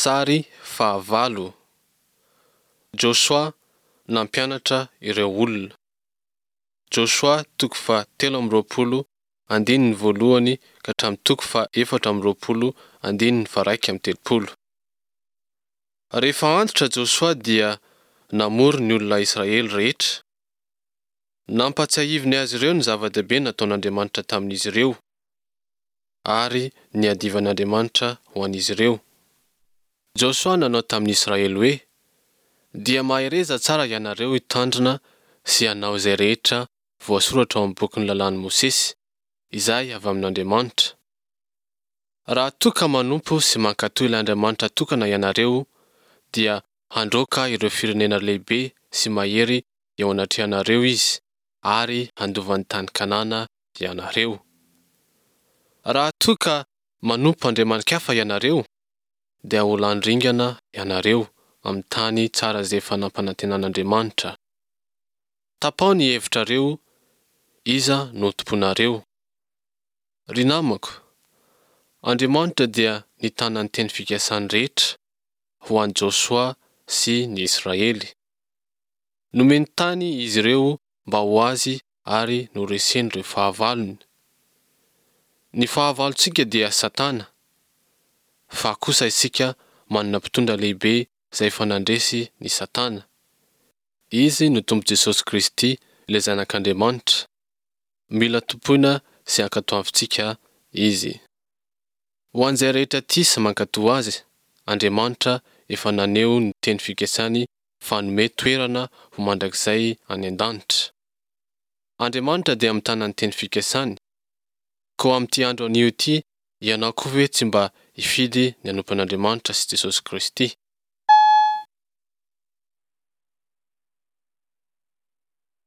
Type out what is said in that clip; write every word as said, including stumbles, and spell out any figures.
Sary fahavalo: Josoa nampianatra ireo olona. Josoa toko faha telo amby roapolo andininy voalohany ka hatramin'ny toko faha efatra amby roapolo andininy faha iraika amby telopolo. Rehefa antitra Josoa dia namory ny olona Israely rehetra. Nampatsiahiviny azy ireo ny zava-dehibe nataon'Andriamanitra tamin'izy ireo ary niadivan'Andriamanitra ho an'izy ireo. Josoa nanao tamin'ny Israely hoe: Dia mahereza tsara ianareo hitandrina sy hanao izay rehetra voasoratra ao amin'ny bokin'ny lalàn'i Mosesy, izay avy amin'Andriamanitra. Raha toa ka manompo sy mankatò ilay Andriamanitra tokana ianareo, dia handroaka ireo firenena lehibe sy mahery eo anatrehanareo Izy ary handova ny tany Kanana ianareo. Raha toa ka manompo andriamani-kafa ianareo, dia ho lany ringana ianareo amin'ny tany tsara izay efa nampanantenan'Andriamanitra. Tapaho ny hevitrareo, iza no hotompoinareo? Ry namako, Andriamanitra dia nitana ny teny fikasany rehetra ho an'i Josoa sy ny Israely. Nomeny tany izy ireo mba ho azy ary noreseny ireo fahavalony. Ny fahavalontsika dia Satana, fa kosa isika manana mpitondra lehibe izay efa nandresy ny Satana. Izy no Tompo Jesosy Kristy ilay Zanak'Andriamanitra. Mila tompoina sy ankatoavintsika Izy. Ho an'izay rehetra tia sy mankatò Azy, Andriamanitra efa naneho ny teny fikasany fa hanome toerana ho mandrakizay any an-danitra. Andriamanitra dia mitana ny teny fikasany. Koa amin'ity andro anio ity, ianao koa ve tsy mba hifidy ny hanompo an'Andriamanitra sy Jesosy Kristy?